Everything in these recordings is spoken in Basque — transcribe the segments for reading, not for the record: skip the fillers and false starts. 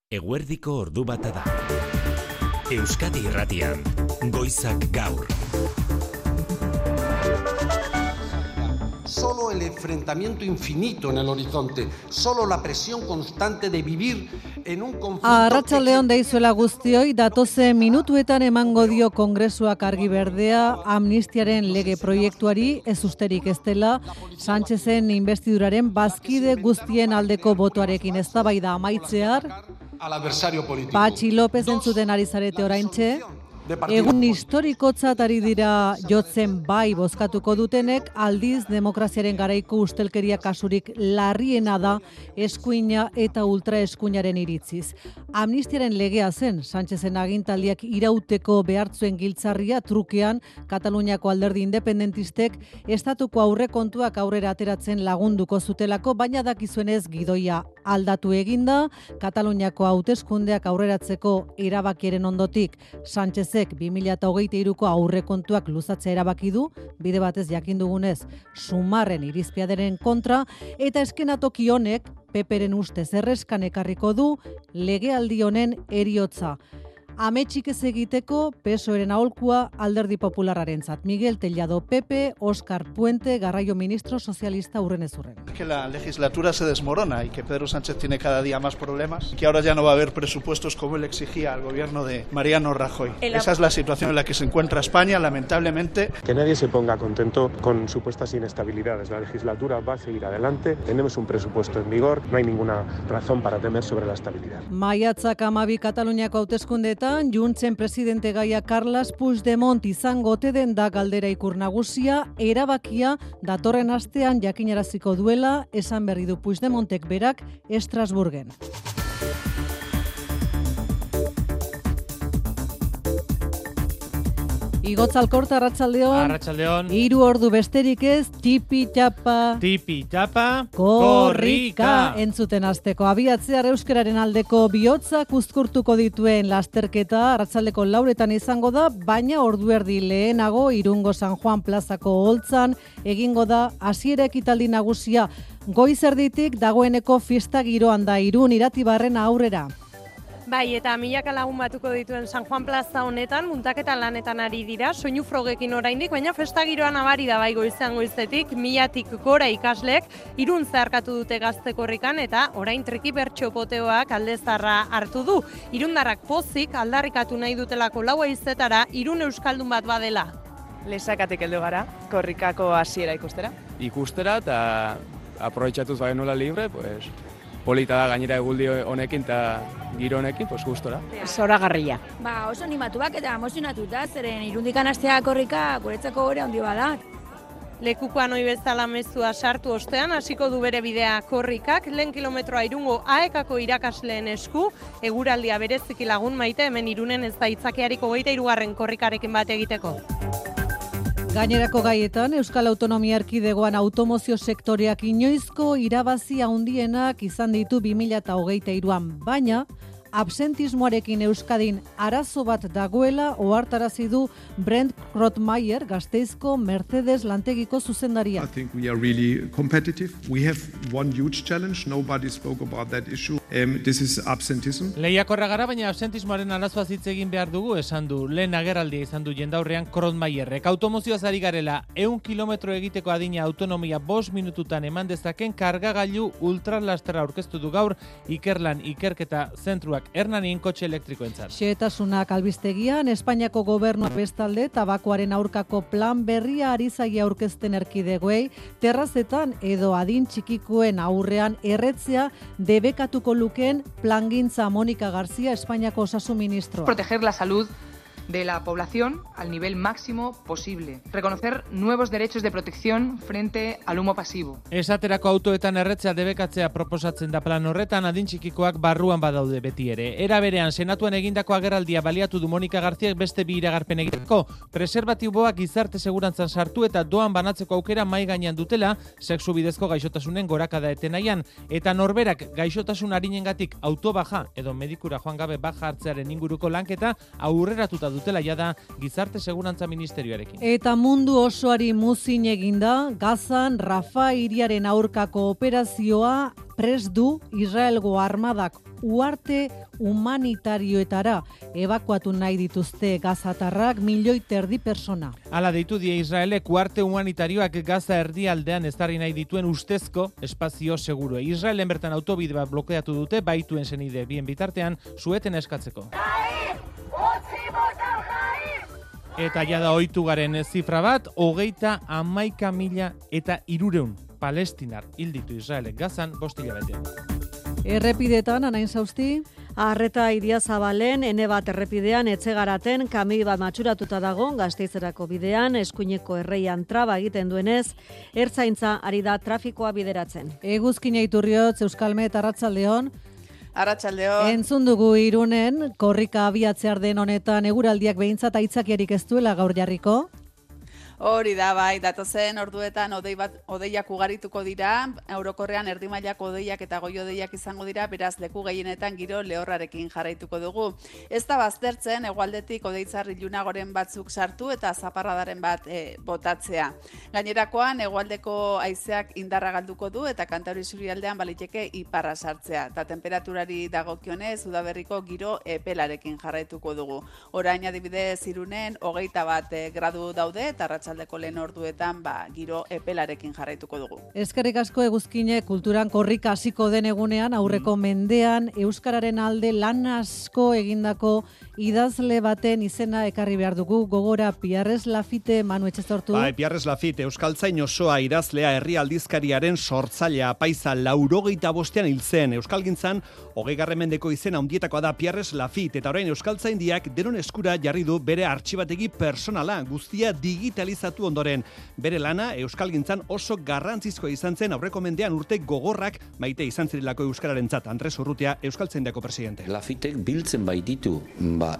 Eguerdiko ordu bata da. Euskadi Irratian, Goizak Gaur. Solo el enfrentamiento infinito en el horizonte, solo la presión constante de vivir en un conflicto... Arratsaldeon deizuela guztioi, datozen minutuetan emango dio Kongresuak argi berdea amnistiaren lege proiektuari, ez usterik ez dela, Sánchezen investiduraren bazkide guztien aldeko botoarekin eztabaida amaitzear, Patxi López entzuten ari zarete oraintxe, egun historikotzat ari dira jotzen bai bozkatuko dutenek, aldiz demokraziaren garaiko ustelkeria kasurik larriena da eskuina eta ultraeskuinaren iritziz. Amnistiaren legea zen, Sánchezen agintaldiak irauteko behartzuen giltzarria trukean Kataluniako alderdi independentistek estatuko aurrekontuak aurrera ateratzen lagunduko zutelako, baina dakizuenez gidoia aldatu eginda, Kataluniako hauteskundeak aurreratzeko erabakiaren ondotik Sánchezek 2023ko aurrekontuak luzatzea erabaki du, bide batez jakin dugunez Sumarren irizpiaderen kontra, eta eskenatoki honek Peperen ustez erreskan ekarriko du legealdi honen heriotza. Ametsik ez egiteko PSOEren aholkua alderdi popularrarentzat. Miguel Tellado, Pepe, Óscar Puente, Garraio ministro socialista urrenezurren. Que la legislatura se desmorona y que Pedro Sánchez tiene cada día más problemas, que ahora ya no va a haber presupuestos como él exigía al gobierno de Mariano Rajoy. Esa es la situación en la que se encuentra España, lamentablemente. Que nadie se ponga contento con supuestas inestabilidades. La legislatura va a seguir adelante, tenemos un presupuesto en vigor, no hay ninguna razón para temer sobre la estabilidad. Maiatzak 12 Kataluniako hauteskundeetan Juntzen presidente gaia Carles Puigdemont izango ote den da galdera ikur nagusia, erabakia datorren astean jakinaraziko duela esan berri du Puigdemontek berak Estrasburgen. Igotz Alkorta, arratsaldeon. Arratsaldeon. 3 ordu besterik ez, tipi-tapa, korrika entzuten hasteko. Abiatzear euskararen aldeko bihotzak uzkurtuko dituen lasterketa arratsaldeko 4etan izango da, baina ordu erdi lehenago Irungo San Juan plazako holtzan egingo da hasiera ekitaldi nagusia. Goiz erditik dagoeneko fiesta giroan da Irun Iratibarren aurrera. Bai, eta milaka lagun batuko dituen San Juan plaza honetan, muntaketa lanetan ari dira, soinu frogekin oraindik, baina festa giroan abari da bai goizean goizetik, 1000tik gora ikaslek, Irun zeharkatu dute gazte korrikan, eta orain triki bertso poteoak aldezarra hartu du. Irundarrak pozik aldarrikatu nahi dutelako 4:00 Irun euskaldun bat badela. Lesakatik heldu gara, korrikako hasiera ikustera. Ikustera eta aprobetxatuz bagenuela libre, pues... polita da gainera eguldi honekin eta giro honekin, pues gustora. Zoragarria. Oso animatuak eta emozionatuta, zeren Irundikan hastea korrika guretzako gore handi bada. Lekukoan ohi bezala mezua sartu ostean, hasiko du bere bidea korrikak, lehen kilometroa Irungo AEKako irakasleen esku, eguraldia bereziki lagun maite, hemen Irunen ez da itzakiariko 23. korrikarekin bat egiteko. Gainerako gaietan, Euskal Autonomia Erkidegoan automozio sektoreak inoizko irabazi handienak izan ditu 2023an, baina absentismoarekin Euskadin arazo bat dagoela ohartarazi du Brent Krotmeier, Gasteizko Mercedes lantegiko zuzendaria. I think we are really competitive. We have one huge challenge. Nobody spoke about that issue. This is absentism. Lehiakorra gara, baina absentismoaren arazoa hitz egin behar dugu, esan du. Lehen agerraldia izan du jendaurrean Krotmeierrek. Automozioaz ari garela, 100 kilometro egiteko adina autonomia 5 minututan eman dezaken kargagailu ultralastera aurkeztu du gaur Ikerlan ikerketa zentruak Hernanin kotxe elektrikoentzat. Xehetasunak albistegian, Espainiako gobernua bestalde tabakoaren aurkako plan berria ari zaie aurkezten erkidegoei, terrazetan edo adin txikikoen aurrean erretzea debekatuko lukeen plangintza. Mónica García, Espainiako osasun ministroa. Proteger la salud de la población al nivel máximo posible. Reconocer nuevos derechos de protección frente al humo pasivo. Esaterako autoetan erretzea debekatzea proposatzen da plan horretan, adin txikikoak barruan badaude beti ere. Era berean, senatuan egindako agerraldia baliatu du Mónica Garziak beste bi iragarpen egiteko. Preserbatiboak gizarte segurantzan sartu eta doan banatzeko aukera mai gainean dutela, sexu bidezko gaixotasunen gorakada etenaian, eta norberak gaixotasun arinengatik autobaja edo medikura joan gabe baja hartzearen inguruko lanketa aurreratuta dutela jada Gizarte Segurantza Ministerioarekin. Eta mundu osoari muzin eginda, Gazan Rafa hiriaren aurkako operazioa prest du Israelgo armadak uarte humanitarioetara ebakuatu nahi dituzte gazatarrak 1,5 milioi persona. Hala deitu die Israelek uarte humanitarioak Gaza erdialdean ezarri nahi dituen ustezko espazio segurua. Israelen bertan autobide bat blokeatu dute baituen senide bien bitartean sueten eskatzeko. Eta jada ohitu garen zifra bat, 31.300 palestinar hilditu Israelek Gazan 5 hilabetean. Errepidetan, Anain Sausti? Arreta Idiazabalen, ene bat errepidean Etxegaraten kamioi bat matxuratuta dago, Gasteizerako bidean, eskuineko erreian traba egiten duenez, ertzaintza ari da trafikoa bideratzen. Eguzkina Iturriotz, Euskalmet, Arratsaldeon. Arratsaldeon. Entzun dugu Irunen, korrika abiatzear den honetan eguraldiak behintzat aitzakiarik ez duela gaur jarriko? Hori da, bai, datozen orduetan odeiak ugarituko dira, orokorrean erdimailako odeiak eta goi odeiak izango dira, beraz leku gehienetan giro lehorrarekin jarraituko dugu. Ez da baztertzen, hegoaldetik odeitzar ilunagoren batzuk sartu eta zaparradaren bat botatzea. Gainerakoan, hegoaldeko haizeak indarra galduko du eta Kantauri isurialdean baliteke iparra sartzea. Eta temperaturari dagokionez, udaberriko giro epelarekin jarraituko dugu. Orain adibidez Irunen 21 gradu daude eta arratsaldeko lehen orduetan giro epelarekin jarraituko dugu. Eskerrik asko Eguzkine, kulturan korrika hasiko den egunean, aurreko mendean euskararen alde lan asko egindako idazle baten izena ekarri behar dugu, gogora Pierres Lafitte, Manu Etxezortu. Pierres Lafitte, euskaltzain osoa idazlea, herri aldizkariaren sortzailea, apaiza 85ean hil zen. Euskalgintzan 20. mendeko izena handietakoa da Pierres Lafitte, eta orain euskaltzaindiak denon eskura jarri du bere artxibategi personala, guztia digitalizatu ondoren. Bere lana euskalgintzan oso garrantzizkoa izan zen, aurreko mendean urte gogorrak maite izan zirilako euskararentzat. Andres Urrutia, euskaltzaindiako presidente. Lafittek biltzen baititu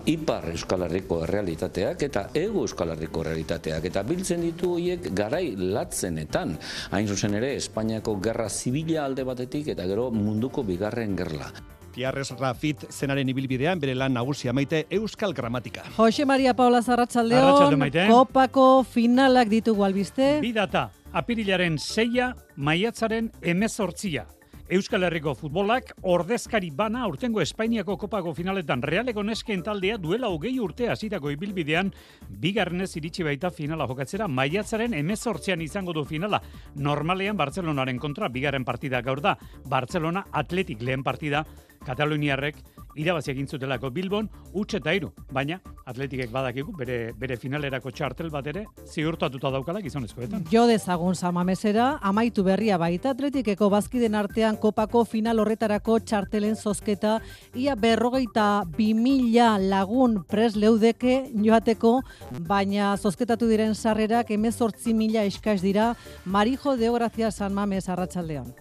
ipar Euskal Herriko errealitateak eta ego Euskal Herriko errealitateak, eta biltzen ditu hiek garai latzenetan, hain zuzen ere Espainiako gerra zibila alde batetik eta gero munduko bigarren gerla. Pierres Lafitte zenaren ibilbidean bere lan nagusia maite euskal gramatika. Jose Maria Paula Arratsaldeon, kopako finalak ditugu albiste. Bi data, apirilaren 6, maiatzaren 18. Euskal Herriko futbolak ordezkari bana aurtengo Espainiako kopako finaletan. Realeko nesken taldea duela 20 urte hasitako ibilbidean bigarrenez iritsi baita finala jokatzera. Maiatzaren 18 izango du finala. Normalean Bartzelonaren kontra bigarren partida gaur da. Bartzelona Athletic lehen partida. Kataluniarrek irabazi egin zutelako Bilbon 3-3, baina Athleticek badakigu bere finalerako txartel bat ere ziurtatuta daukala gizonezkoetan. Jo dezagun Samamesera, amaitu berria baita Athleticeko bazkiden artean kopako final horretarako txartelen zozketa, ia 52.000 lagun prest leudeke joateko, baina zozketatu diren sarrerak 18.000 eskaz dira. Marijo Deograzia San Mames, Arratsaldeon.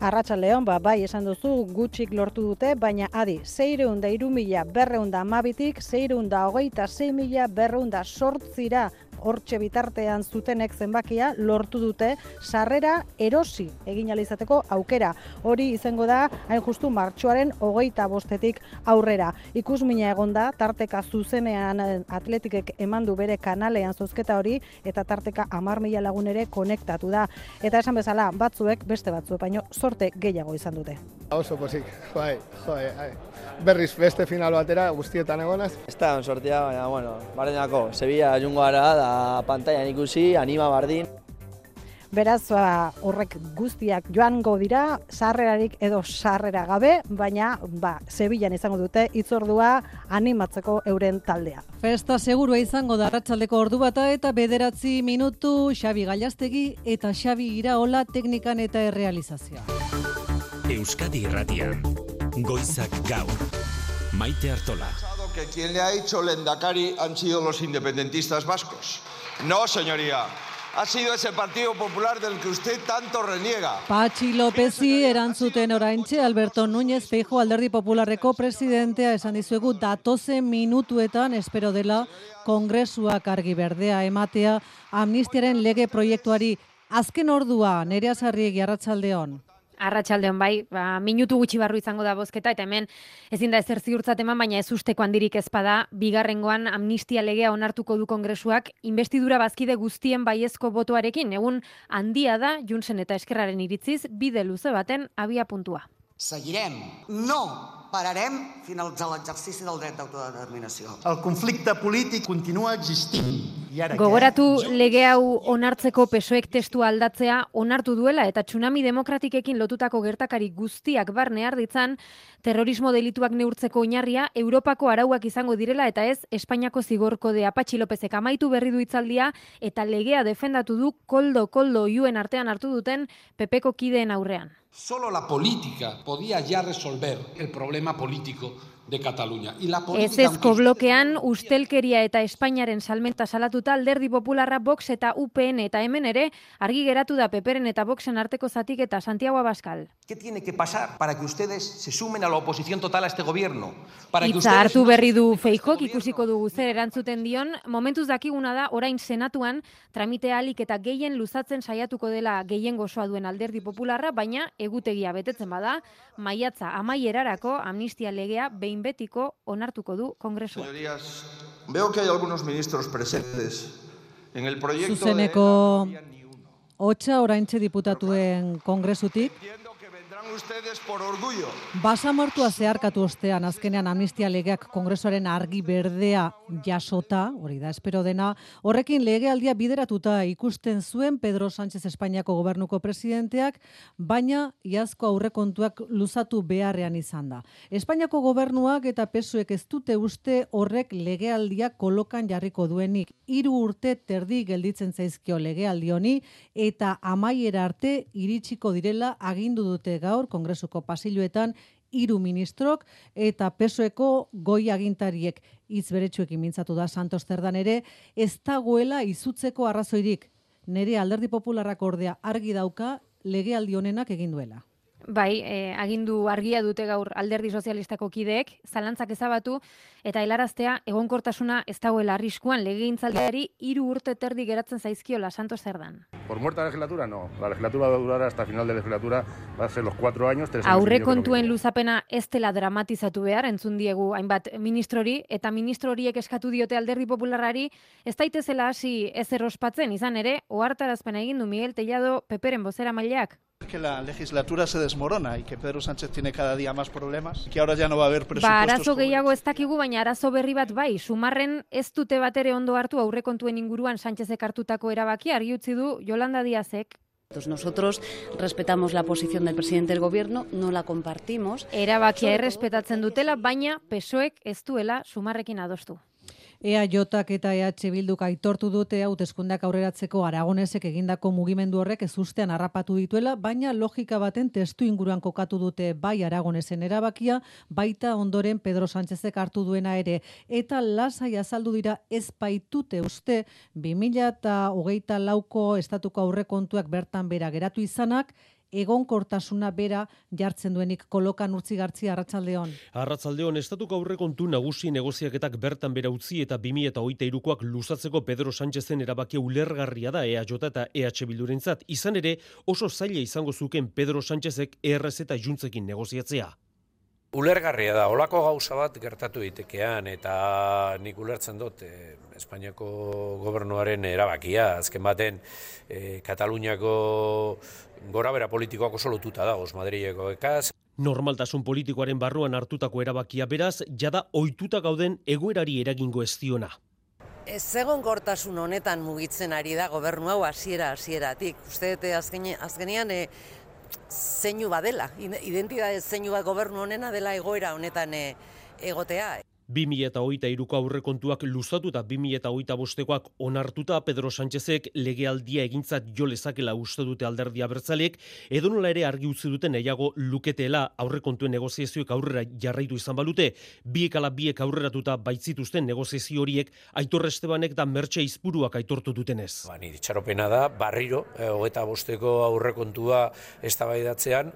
Arratsaldeon, bai, esan duzu, gutxik lortu dute, baina adi, 603.212tik 626.208 hortxe bitartean zutenek zenbakia lortu dute sarrera erosi egin alizateko aukera. Hori izango da, hain justu martxoaren 25-tik aurrera. Ikusmina egonda, tarteka zuzenean Athleticek emandu bere kanalean zozketa hori, eta tarteka 10.000 lagun ere konektatu da. Eta esan bezala, batzuek, beste batzuek, baino sorte gehiago izan dute. Oso pozik, berriz beste final batera guztietan egonaz. Ez da sortea, baina, barrenako, Sevilla jungo gara da pantailan ikusi, anima bardin. Beraz, horrek guztiak joango dira, sarrerarik edo sarrera gabe, baina Sevillan izango dute hitzordua animatzeko euren taldea. Festa segurua izango da arratsaldeko ordu bata eta 9 minutu Xabi Gallastegi eta Xabi Iraola teknikan eta errealizazioa. Euskadi Irratian, Goizak Gaur, Maite Artola. Que quien le ha hecho lehendakari han sido los independentistas vascos. No, señoría. Ha sido ese Partido Popular del que usted tanto reniega. Patxi Lópezi erantzuten oraintxe, Alberto Núñez Feijóo Alderdi Popularreko presidentea esan dizuegu datozen minutuetan espero dela Kongresuak argi berdea ematea amnistiaren lege proiektuari. Azken ordua, Nerea Sarriegi, Arratsaldeon. Arratsaldeon bai, minutu gutxi barru izango da bozketa, eta hemen ezin da ezer ziurtzat eman, baina ez usteko handirik ez bada, bigarrengoan amnistia legea onartuko du Kongresuak, investidura bazkide guztien baiezko botoarekin, egun handia da, Juntzen eta Eskerraren iritziz, bide luze baten abia puntua. Seguirem, no pararem finalitzar l'exercici del dret d'autodeterminació. El conflicte polític continua existint. Gogoratu lege hau onartzeko PSOEk testua aldatzea onartu duela eta tsunami demokratikekin lotutako gertakari guztiak barne har ditzan, terrorismo delituak neurtzeko oinarria Europako arauak izango direla eta ez Espainiako zigor kodea. Patxi Lopezek amaitu berri du hitzaldia eta legea defendatu du koldo oihuen artean hartu duten PPko kideen aurrean. Solo la política podía ya resolver el problema político de Cataluña. Ezezko blokean ustelkeria eta Espainiaren salmenta salatuta Alderdi Popularra, Vox eta UPN eta hemen ere argi geratu da Peperen eta Voxen arteko zatik eta Santiago Abascal. ¿Qué tiene que pasar para que ustedes se sumen a la oposición total a este gobierno? Itza hartu berri du Feijóok, ikusiko dugu zer erantzuten dion, momentuz dakiguna da orain Senatuan tramitea ahalik eta gehien luzatzen saiatuko dela gehiengo osoa duen Alderdi Popularra, baina egutegia betetzen bada, maiatza amaierarako amnistia legea behin betiko onartuko du Kongresua. Señorías, veo que hay algunos ministros presentes en el proyecto Zuzeneko hotxa oraintxe diputatuen Kongresutik. Ustedes por orgullo. Basamortua zeharkatu ostean azkenean amnistia legeak Kongresuaren argi berdea jasota, hori da espero dena, horrekin legealdia bideratuta ikusten zuen Pedro Sánchez Espainiako gobernuko presidenteak, baina iazko aurrekontuak luzatu beharrean izan da. Espainiako gobernuak eta PSOEk ez dute uste horrek legealdia kolokan jarriko duenik. 3 urte terdi gelditzen zaizkio legealdi honi eta amaiera arte iritsiko direla agindu dute gaur Kongresuko pasiluetan 3 ministrok eta PSOEko goi agintariek hitz beretsuekin mintzatu da Santos Cerdan ere, ez dagoela izutzeko arrazoirik. Nere Alderdi Popularrak ordea argi dauka legealdi honenak egin duela. Bai, agindu argia dute gaur Alderdi Sozialistako kideek, zalantzak ezabatu eta helaraztea egonkortasuna ez dagoela arriskuan legegintzaldiari 3 urte terdi geratzen zaizkiola Santos Cerdan. Por muerta la legislatura, no. La legislatura va a durar hasta final de legislatura, va a ser los 4 años, 3 años. Aurrekontuen luzapena ez dela dramatizatu behar, entzun diegu hainbat ministrori, eta ministro horiek eskatu diote Alderdi Popularrari, ez daitezela hasi ezer ospatzen, izan ere, ohartarazpena egin du Miguel Tellado Peperen bozeramaileak. Que la legislatura se desmorona y que Pedro Sánchez tiene cada día más problemas, que ahora ya no va a haber presupuestos. Arazo gehiago ez dakigu, baina arazo berri bat bai, sumarren ez dute batere ondo hartu aurrekontuen inguruan Sánchezek hartutako erabakia, argi utzi du Yolanda Díazek. Nosotros respetamos la posición del presidente del gobierno, no la compartimos. Erabakia errespetatzen dutela, baina PSOEk ez duela sumarrekin adostu. EAJak eta EH Bilduk aitortu dute hauteskundeak aurreratzeko Aragonesek egindako mugimendu horrek ezustean harrapatu dituela, baina logika baten testu inguruan kokatu dute bai Aragonesen erabakia, baita ondoren Pedro Sánchezek hartu duena ere, eta lasai azaldu dira ez baitute uste 2024ko estatuko aurrekontuak bertan bera geratu izanak, egonkortasuna bera jartzen duenik. Kolokan Urtzigartzi, arratsaldeon. Arratsaldeon, estatuko aurrekontu nagusi negoziaketak bertan bera utzi eta 2023koak luzatzeko Pedro Sánchezen erabakia ulergarria da EAJ eta EH Bildurentzat. Izan ere, oso zaila izango zuken Pedro Sánchezek ERS eta Juntzekin negoziatzea. Ulergarria da, olako gauza bat gertatu daitekean eta nik ulertzen dut Espainiako gobernuaren erabakia. Azken baten Kataluniako gorabera politikoak oso lotuta dagoz Madrileko ekaz. Normaltasun politikoaren barruan hartutako erabakia beraz, jada ohituta gauden egoerari eragingo ez diona. Egonkortasun honetan mugitzen ari da gobernu hau hasieratik. Uste dute azkenean zeinu badela, identitate zeinu bat gobernu honena dela egoera honetan egotea. 2023ko aurrekontuak luzatu eta 2025koak onartuta Pedro Sánchezek legealdia egintzat jo lezakela uste dute Alderdi Abertzaleek, edonola ere argi utzi duten nahiago luketela aurrekontuen negoziazioek aurrera jarraitu izan balute, biek aurreratuta baitzituzten negoziazio horiek Aitor Estebanek da Mertxe Izpuruak aitortu dutenez. Nire itxaropena da, barriro, 25ko aurrekontua eztabaidatzean,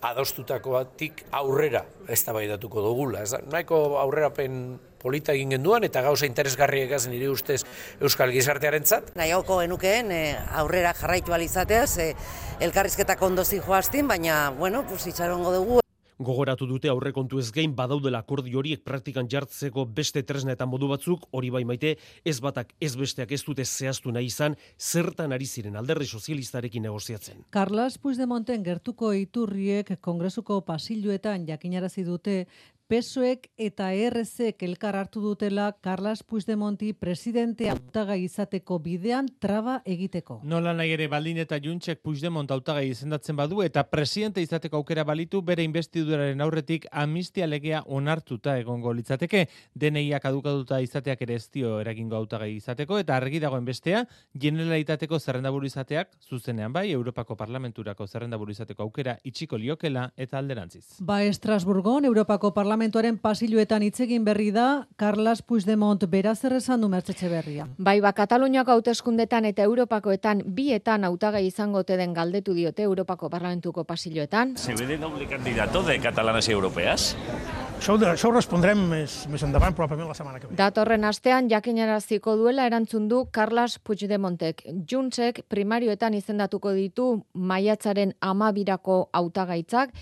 adostutakoatik aurrera eztabaidatuko dugula. Nahiko aurrerapen polita egin genduan eta gauza interesgarriek ez nire ustez Euskal Gizartearentzat. Nahiago genukeen aurrera jarraitu alizateaz, elkarrizketak ondo zijoaztin, baina, itxarongo dugu. Gogoratu dute aurrekontu ez gain badaudela akordio horiek praktikan jartzeko beste tresna eta modu batzuk, hori bai Maite, ez batak ez besteak ez dute zehaztu nahi izan, zertan ari ziren Alderdi Sozialistarekin negoziatzen. Carles Puigdemonten gertuko iturriek Kongresuko pasilloetan jakinarazi dute PSOEk eta ERZek elkar hartu dutela Carles Puigdemonti presidente hautagai izateko bidean traba egiteko. Nola nahi ere baldin eta Juntsek Puigdemont hautagai izendatzen badu eta presidente izateko aukera balitu bere investiduraren aurretik amnistia legea onartuta egongo litzateke. DNIak kadukatuta izateak ere ez dio eragingo hautagai izateko eta argi dagoen bestea Generalitateko zerrendaburu izateak zuzenean bai Europako Parlamenturako zerrendaburu izateko aukera itxiko liokela eta alderantziz. Estrasburgon Europako Parlamentuaren pasilloetan hitz egin berri da Carles Puigdemont beraz zer esan du Mertxe Etxeberria. Kataluniako hauteskundetan eta Europakoetan bietan hautagai izango ote den galdetu diote Europako Parlamentuko pasilloetan. ¿Se ve de doble candidato de catalanas y europeas? Això ho respondrem més endavant, probablement la setmana que ve. Datorren astean jakinaraziko duela erantzun du Carles Puigdemontek. Juntsek primarioetan izendatuko ditu maiatzaren 12rako hautagaitzak,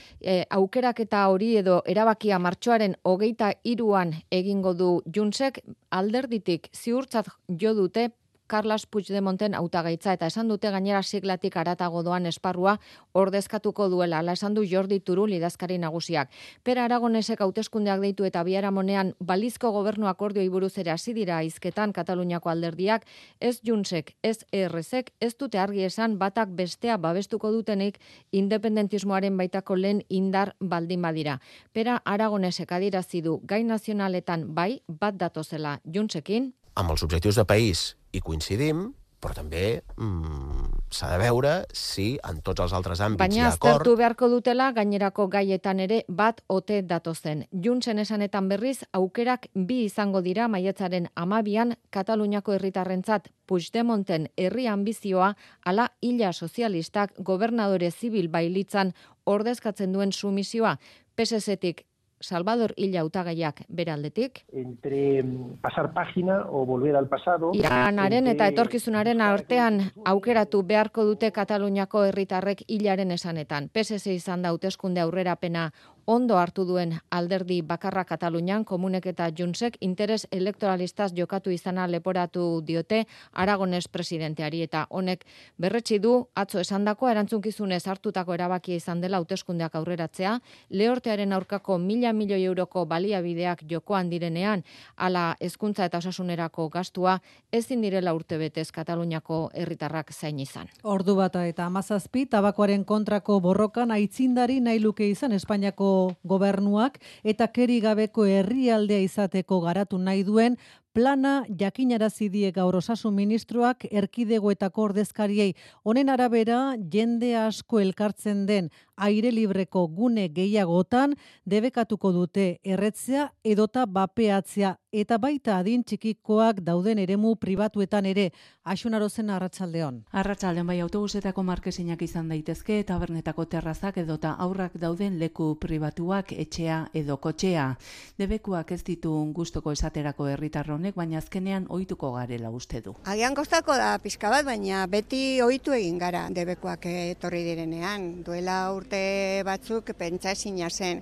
aukeraketa hori edo erabakia martxoaren 23an egingo du Juntsek, alderditik ziurtzat jo dute Carles Puigdemonten hautagaitza eta esan dute gainera siglatik haratago doan esparrua ordezkatuko duela. Hala esan du Jordi Turull idazkari nagusiak. Pere Aragonesek hauteskundeak deitu eta biharamonean balizko gobernu akordioi buruz ere hasi dira hizketan Kataluniako alderdiak, ez Juntsek, ez ERZek ez dute argi esan batak bestea babestuko dutenik independentismoaren baitako lehen indar baldin badira. Pere Aragonesek adierazi du gai nazionaletan bai bat datozela Juntsekin. Amb els objectius de país hi coincidim, però també s'ha de veure si en tots els altres àmbits hi ha acord. Baina aztertu beharko dutela gainerako gaietan ere bat ote datozen. Juntsen esanetan berriz aukerak bi izango dira maiatzaren 12an Kataluniako herritarrentzat Puigdemonten herri ambizioa ala illa sozialistak gobernadore zibil bailitzan ordezkatzen duen sumisioa. PSZ-tik Salvador Illa hautagaiak beraldetik. Entre pasar página o volver al pasado. Iranaren eta etorkizunaren artean aukeratu beharko dute Kataluniako herritarrek Illaren esanetan. PSZ izan da hauteskunde aurrerapena ondo hartu duen alderdi bakarra Katalunian, Komunek eta Juntsek interes elektoralistaz jokatu izana leporatu diote Aragones presidenteari eta honek berretsi du atzo esandakoa erantzunkizunez hartutako erabakia izan dela hauteskundeak aurreratzea, lehortearen aurkako 1.000 milioi euroko baliabideak jokoan direnean, ala hezkuntza eta osasunerako gastua ezin direla urtebetez Kataluniako herritarrak zain izan. Ordu bata eta 17 tabakoaren kontrako borrokan aitzindari nahi luke izan Espainiako gobernuak eta keri gabeko herrialdea izateko garatu nahi duen plana jakinarazi die gaur osasun ministroak erkidegoetako ordezkariei. Honen arabera, jende asko elkartzen den aire libreko gune gehiagotan debekatuko dute erretzea edota bapeatzea eta baita adin txikikoak dauden eremu pribatuetan ere. Axunarozen arratsaldeon. Arratsaldeon bai autobusetako markesinak izan daitezke, tabernetako terrazak edota aurrak dauden leku pribatuak, etxea edo kotxea. Debekuak ez ditu gustoko esaterako herritarron, baina azkenean ohituko garela uste du. Agian kostako da pixka bat, baina beti ohitu egin gara debekuak etorri direnean. Duela urte batzuk pentsazina zen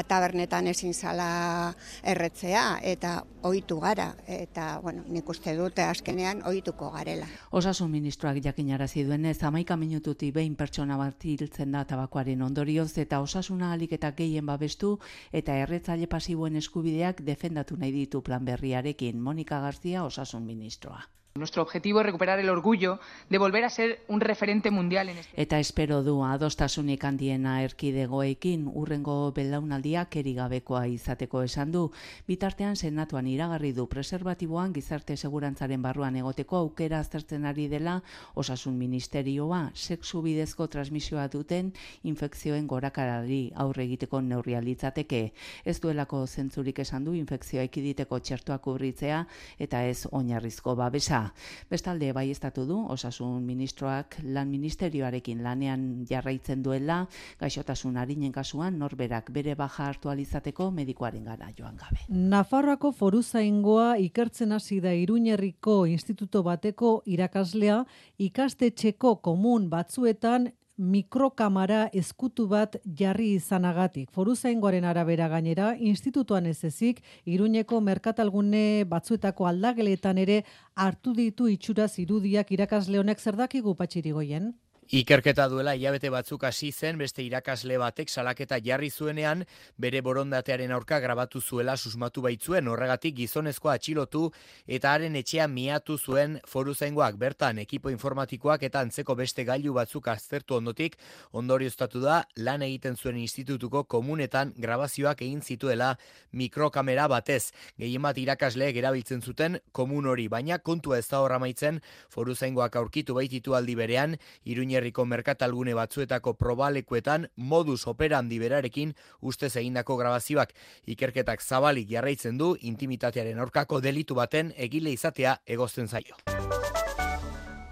tabernetan ezin zala erretzea eta ohitu gara eta nik uste dute azkenean ohituko garela. Osasun ministroak jakinarazi duenez 11 minututik behin pertsona bat hiltzen da tabakoaren ondorioz eta osasuna ahalik eta gehien babestu eta erretzaile pasiboen eskubideak defendatu nahi ditu plan berriarekin. Mónica García, osasun ministroa. Nuestro objetivo es recuperar el orgullo de volver a ser un referente mundial en este. Eta espero du adostasunik handiena erkidegoekin urrengo belaunaldiak erigabekoa izateko esan du. Bitartean senatuan iragarri du preserbatiboan gizarte segurantzaren barruan egoteko aukera aztertzen ari dela osasun ministerioa sexu bidezko transmisioa duten infekzioen gorakarari aurre egiteko neurria litzateke. Ez duelako zentzurik esan du infekzioa ekiditeko txertoak urritzea eta ez oinarrizko babesa. da. Bestalde baieztatu du Osasun Ministroak Lan Ministerioarekin lanean jarraitzen duela, gaixotasun arinen kasuan norberak bere baja hartu alizateko medikuarengana joan gabe. Nafarroako foruzaingoa ikertzen hasi da Iruñerriko instituto bateko irakaslea ikastetxeko komun batzuetan mikrokamara eskutu bat jarri izanagatik. Foruzaingoaren arabera gainera, institutuan ez ezik, Iruñeko merkatalgune batzuetako aldageletan ere hartu ditu itxuraz irudiak irakasle honek. Zer dakigu Patxirigoien? Ikerketa duela hilabete batzuk hasi zen beste irakasle batek salaketa jarri zuenean bere borondatearen aurka grabatu zuela susmatu baitzuen, horregatik gizonezkoa atxilotu eta haren etxea miatu zuen foruzaingoak. Bertan ekipo informatikoak eta antzeko beste gailu batzuk aztertu ondotik ondorioztatu da lan egiten zuen institutuko komunetan grabazioak egin zituela mikrokamera batez. Gehienbat irakasleek erabiltzen zuten komun hori, baina kontua ez da hor amaitzen, foruzaingoak aurkitu baititu aldi berean Iruñerriko merkatalgune batzuetako probalekuetan modus operandi berarekin ustez egindako grabazioak. Ikerketak zabalik jarraitzen du intimitatearen aurkako delitu baten egile izatea egozten zaio.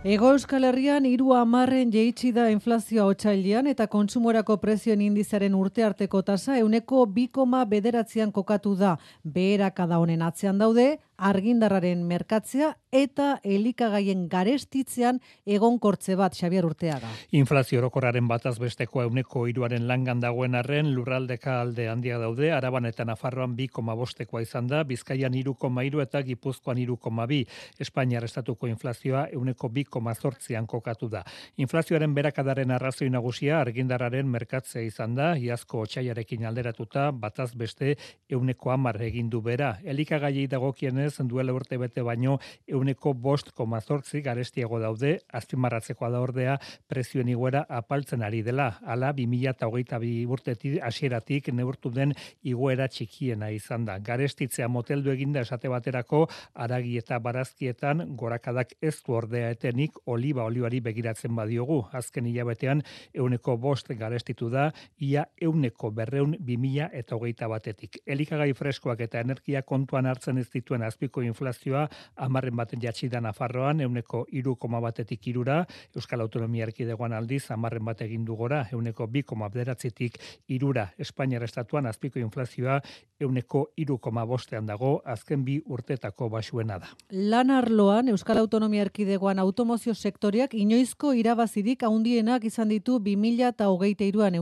Hego Euskal Herrian 30% jaitsi da inflazioa otsailean eta kontsumorako prezioen indizearen urtearteko tasa 2,9 kokatu da. Beherakada honen atzean daude argindarraren merkatzea eta elikagaien garestitzean egonkortze bat, Xabier Urteaga. Inflazio orokorraren bataz besteko 3% langan dagoen arren lurraldeka alde handia daude, Araban eta Nafarroan 2,5 izan da, Bizkaian 3,3 eta Gipuzkoan 3,2. Espainiar estatuko inflazioa 2,8 kokatu da. Inflazioaren berakadaren arrazoi nagusia argindarraren merkatzea izan da, iazko otsailarekin alderatuta bataz beste 10% egin du bera. Elikagaiei dagokienez duela urte bete baino 5,8 garestiago daude, azpimarratzekoa da ordea prezioen igoera apaltzen ari dela. Hala 2022 urtetik hasieratik neurtu den igoera txikiena izan da. Garestitzea moteldu eginda esate baterako haragi eta barazkietan gorakadak ez du ordea etenik oliba olioari begiratzen badiogu. Azken hilabetean 5% garestitu da, ia 200 2021etik. Elikagai freskoak eta energia kontuan hartzen ez dituen azpiko inflazioa 10% jatsi da Nafarroan 3,1etik 3, Euskal Autonomia Erkidegoan aldiz 10% egin du gora 2,9etik 3. Espainiar estatuan azpiko inflazioa 3,5ean dago, azken 2 urtetako baxuena da. Lan arloan Euskal Autonomia Erkidegoan automozio sektoreak inoizko irabazirik handienak izan ditu 2023an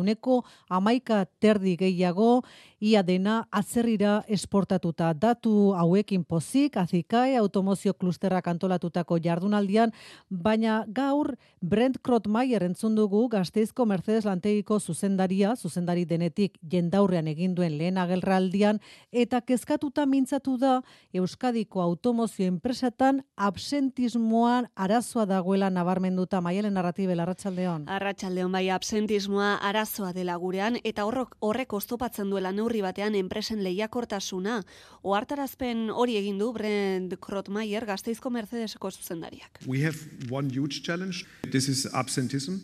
11% gehiago, ia dena atzerrira esportatuta. Datu hauekin pozik, Azikae automozio klusterrak antolatutako jardunaldian, baina gaur Brent Krotmaier entzun dugu Gasteizko Mercedes lantegiko zuzendari denetik jendaurrean egin duen lehen agerraldian, eta kezkatuta mintzatu da Euskadiko automozio enpresatan absentismoan arazoa dagoela nabarmenduta. Maialen Arratibel, arratsaldeon. Arratsaldeon, bai, absentismoa arazoa dela gurean, eta horrek oztopatzen duela neurri batean enpresen lehiakortasuna. Ohartarazpen hori egin du Brent Krotmaier, Gasteizko Mercedeseko zuzendariak. We have one huge challenge. This is absentism.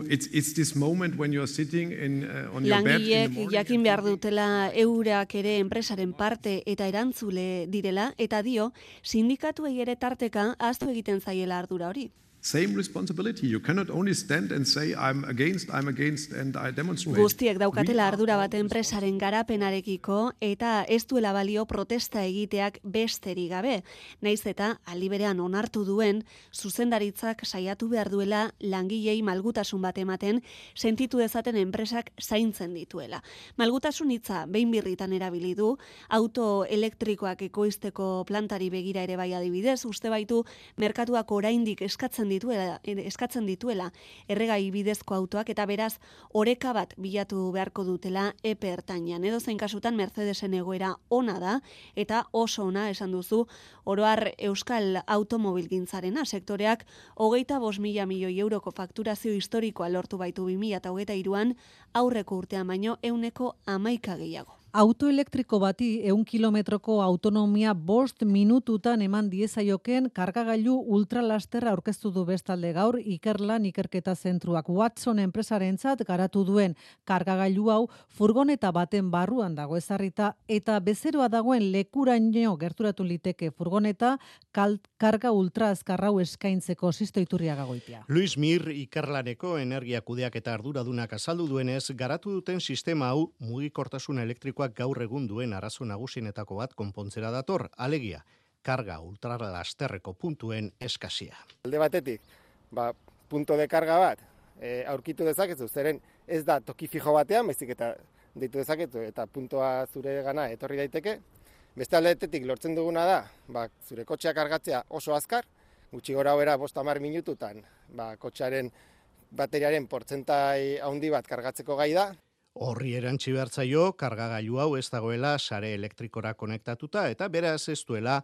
It's this moment when you are sitting on your bed in the morning. Langileek jakin behar dutela eurak ere enpresaren parte eta erantzule direla, eta dio, sindikatuei ere tarteka ahaztu egiten zaiela ardura hori. Same responsibility. You cannot only stand and say I'm against and I demonstrate. Guztiek daukatela ardura bat enpresaren garapenarekiko eta ez duela balio protesta egiteak besterik gabe. Naiz eta aldi berean onartu duen zuzendaritzak saiatu behar duela langilei malgutasun bat ematen, sentitu dezaten enpresak zaintzen dituela. Malgutasun hitza behin birritan erabili du, auto elektrikoak ekoizteko plantari begira ere bai adibidez, uste baitu merkatuak oraindik eskatzen dituela erregai bidezko autoak, eta beraz oreka bat bilatu beharko dutela epe ertainean. Edozein kasutan Mercedesen egoera ona da, eta oso ona esan duzu, oro har Euskal automobilgintzarena sektoreak 25.000 milioi euroko fakturazio historikoa lortu baitu 2023an, aurreko urtean baino 11% gehiago. Autoelektriko bati 100 kilometroko autonomia 5 minututan eman diezaioken kargagailu ultralasterra aurkeztu du bestalde gaur Ikerlan ikerketa zentruak. Watson enpresarentzat garatu duen kargagailu hau furgoneta baten barruan dago ezarrita eta bezeroa dagoen lekuraino gerturatu liteke furgoneta karga ultra azkarrau eskaintzeko Sisto Iturriaga Goitia. Luis Mir Ikerlaneko energia kudeaketa arduradunak azaldu duenez, garatu duten sistema hau mugikortasun elektriko gaur egun duen arazo nagusienetako bat konpontzera dator, alegia, karga ultralasterreko puntuen eskasia. Alde batetik, punto de karga bat aurkitu dezakezu, zeren ez da toki fijo batean, baizik eta deitu dezakezu eta puntoa zure gana etorri daiteke. Beste aldetetik lortzen duguna da, zure kotxea kargatzea oso azkar, gutxi gora bera 5-10 minututan, kotxearen bateriaren portzentai handi bat kargatzeko gai da. Horri erantsi behartzaio, kargagailu hau ez dagoela sare elektrikora konektatuta eta beraz ez duela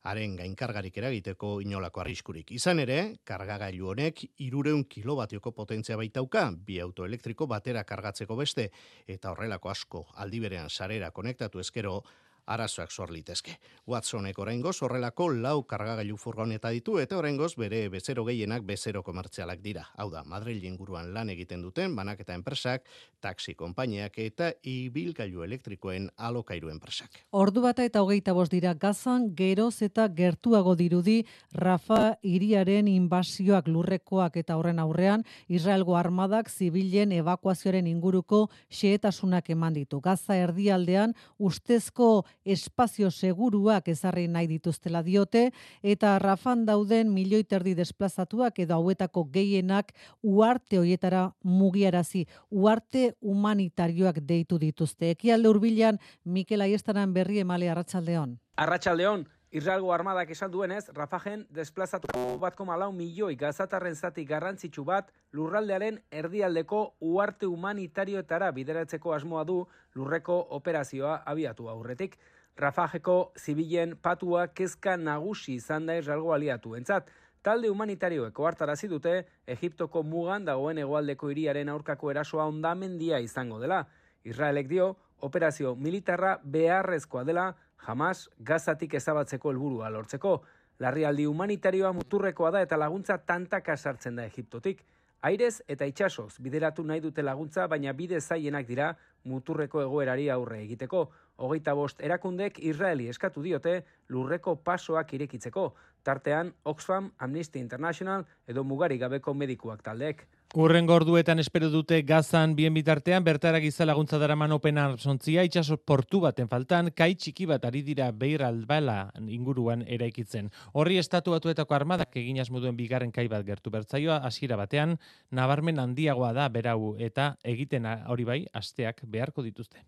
haren gainkargarik eragiteko inolako arriskurik. Izan ere, kargagailu honek 300 kilobatioko potentzia baitauka, bi autoelektriko batera kargatzeko beste, eta horrelako asko aldi berean sarera konektatu ezkero, arazoak sor litezke. Watsonek oraingoz horrelako 4 kargagailu furgoneta ditu eta oraingoz bere bezero gehienak bezero komertzialak dira. Hau da, Madril inguruan lan egiten duten banaketa enpresak, taxi konpainiak eta ibilgailu elektrikoen alokairu enpresak. Ordu bata eta 25 dira Gazan geroz eta gertuago dirudi Rafa hiriaren inbasioak lurrekoak eta horren aurrean Israelgo armadak zibilen ebakuazioaren inguruko xehetasunak eman ditu. Gaza erdialdean ustezko espazio seguruak ezarri nahi dituztela diote eta Rafan dauden 1,5 milioi desplazatuak edo hauetako gehienak uarte hoietara mugiarazi, uarte humanitarioak deitu dituzte. Ekialde hurbilan Mikel Aiestaran berri emale arratsaldeon. Arratsaldeon. Israelgo armadak esan duenez, Rafajen desplazatuko 1,4 milioi gazatarren zati garrantzitsu bat lurraldearen erdialdeko uarte humanitarioetara bideratzeko asmoa du lurreko operazioa abiatu aurretik. Rafajeko zibilen patua kezka nagusi izan da Israelgo aliatuentzat. Talde humanitarioeko hartarazi dute Egiptoko mugan dagoen hegoaldeko hiriaren aurkako erasoa hondamendia izango dela. Israelek dio, operazio militarra beharrezkoa dela Hamas Gazatik ezabatzeko helburua lortzeko. Larrialdi humanitarioa muturrekoa da eta laguntza tantaka sartzen da Egiptotik. Airez eta itsasoz bideratu nahi dute laguntza, baina bide zailenak dira muturreko egoerari aurre egiteko. 25 erakundek Israeli eskatu diote lurreko pasoak irekitzeko. Tartean Oxfam, Amnesty International edo mugarik gabeko medikuak taldeek. Urrengo orduetan espero dute Gazan bien bitartean bertara giza laguntza daraman Open Arms ontzia itsaso portu baten faltan kai txiki bat ari dira Beir al-Bala inguruan eraikitzen. Horri estatu batuetako armadak egin asmo duen bigarren kai bat gertu bertzaioa hasiera batean nabarmen handiagoa da berau eta egiten hori bai asteak beharko dituzte.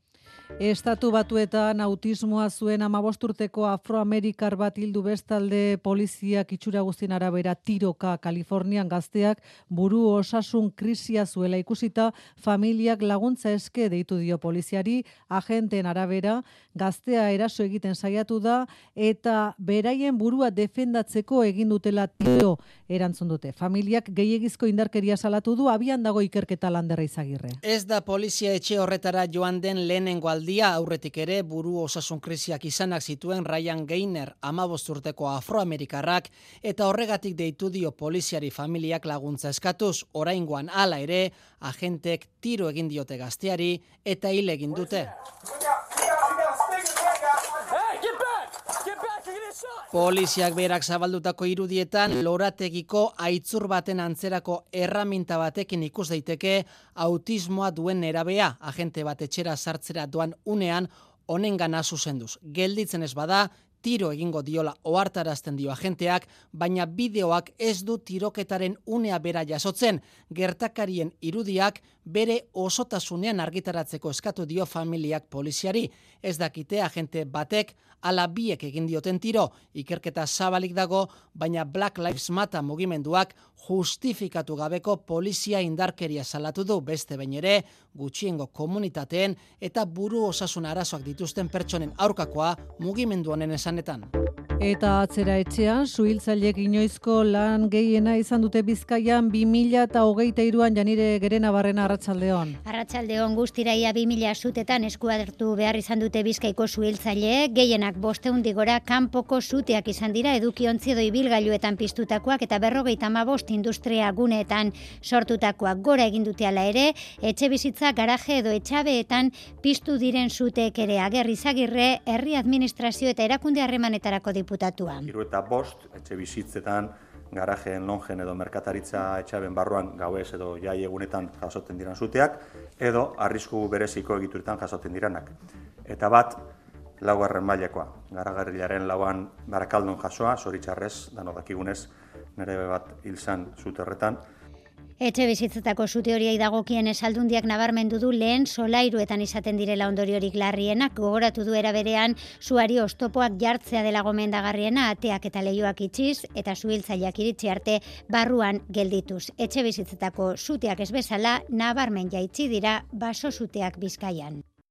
Estatu Batuetan autismoa zuen 15 urteko afroamerikar bat hildu bestalde poliziak itxura guztien arabera tiroka Kalifornian gazteak buru osasun krisia zuela ikusita familiak laguntza eske deitu dio poliziari, agenteen arabera gaztea eraso egiten saiatu da eta beraien burua defendatzeko egin dutela tiro erantzun dute. Familiak gehiegizko indarkeria salatu du, abian dago ikerketa Landerra Izagirre. Ez da polizia etxe horretara joan den lehenengo aldia, aurretik ere buru osasun krisiak izanak zituen Ryan Gainer 15 urteko afroamerikarrak eta horregatik deitu dio poliziari familiak laguntza eskatuz. Oraingoan hala ere, agentek tiro egin diote gazteari eta hil egin dute. Poliziak berak zabaldutako irudietan lorategiko aitzur baten antzerako erraminta batekin ikus daiteke autismoa duen nerabea, agente bat etxera sartzera doan unean honengana zuzenduz. Gelditzen ez bada, tiro egingo diola ohartarazten dio agenteak, baina bideoak ez du tiroketaren unea bera jasotzen. Gertakarien irudiak bere osotasunean argitaratzeko eskatu dio familiak poliziari. Ez dakite agente batek ala biek egin dioten tiro. Ikerketa zabalik dago, baina Black Lives Matter mugimenduak justifikatu gabeko polizia indarkeria salatu du beste behin ere, gutxiengo komunitateen eta buru osasun arazoak dituzten pertsonen aurkakoa mugimendu honen esanetan. Eta atzera etxean, suhiltzaileek inoizko lan gehiena izan dute Bizkaian 2023an Janire Gerenabarrena arratsaldeon. Arratsaldeon guztira ia 2000 sutetan eskuartu behar izan dute Bizkaiko suhiltzaileek, gehienak 500 gora kanpoko suteak izan dira edukiontzi edo ibilgailuetan piztutakoak eta 55 industria guneetan sortutakoak. Gora egin dute hala ere, etxe bizitza, garaje edo etxabeetan piztu diren suteek ere. Agerri Izagirre, herri administrazio eta erakunde harremanetarako diputatua. 75 etxe bizitzetan, garajeen, lonjen edo merkataritza etxaben barruan gauez edo jai egunetan jasotzen diran suteak, edo arrisku bereziko egituretan jasotzen diranak. Eta bat, 4. mailekoa. Garagarrilaren 4. Barakaldon jasoa, zoritxarrez, danok dakigunez, nire bat hil zan sute horretan. Etxe bizitzetako sute horiei dagokien Aldundiak nabarmendu du lehen solairuetan izaten direla ondoriorik larrienak, gogoratu du era berean suari oztopoak jartzea dela gomendagarriena, ateak eta leihoak itxiz eta suhiltzaileak iritsi arte barruan geldituz. Etxe bizitzetako suteak ez bezala nabarmen jaitsi dira baso suteak Bizkaian.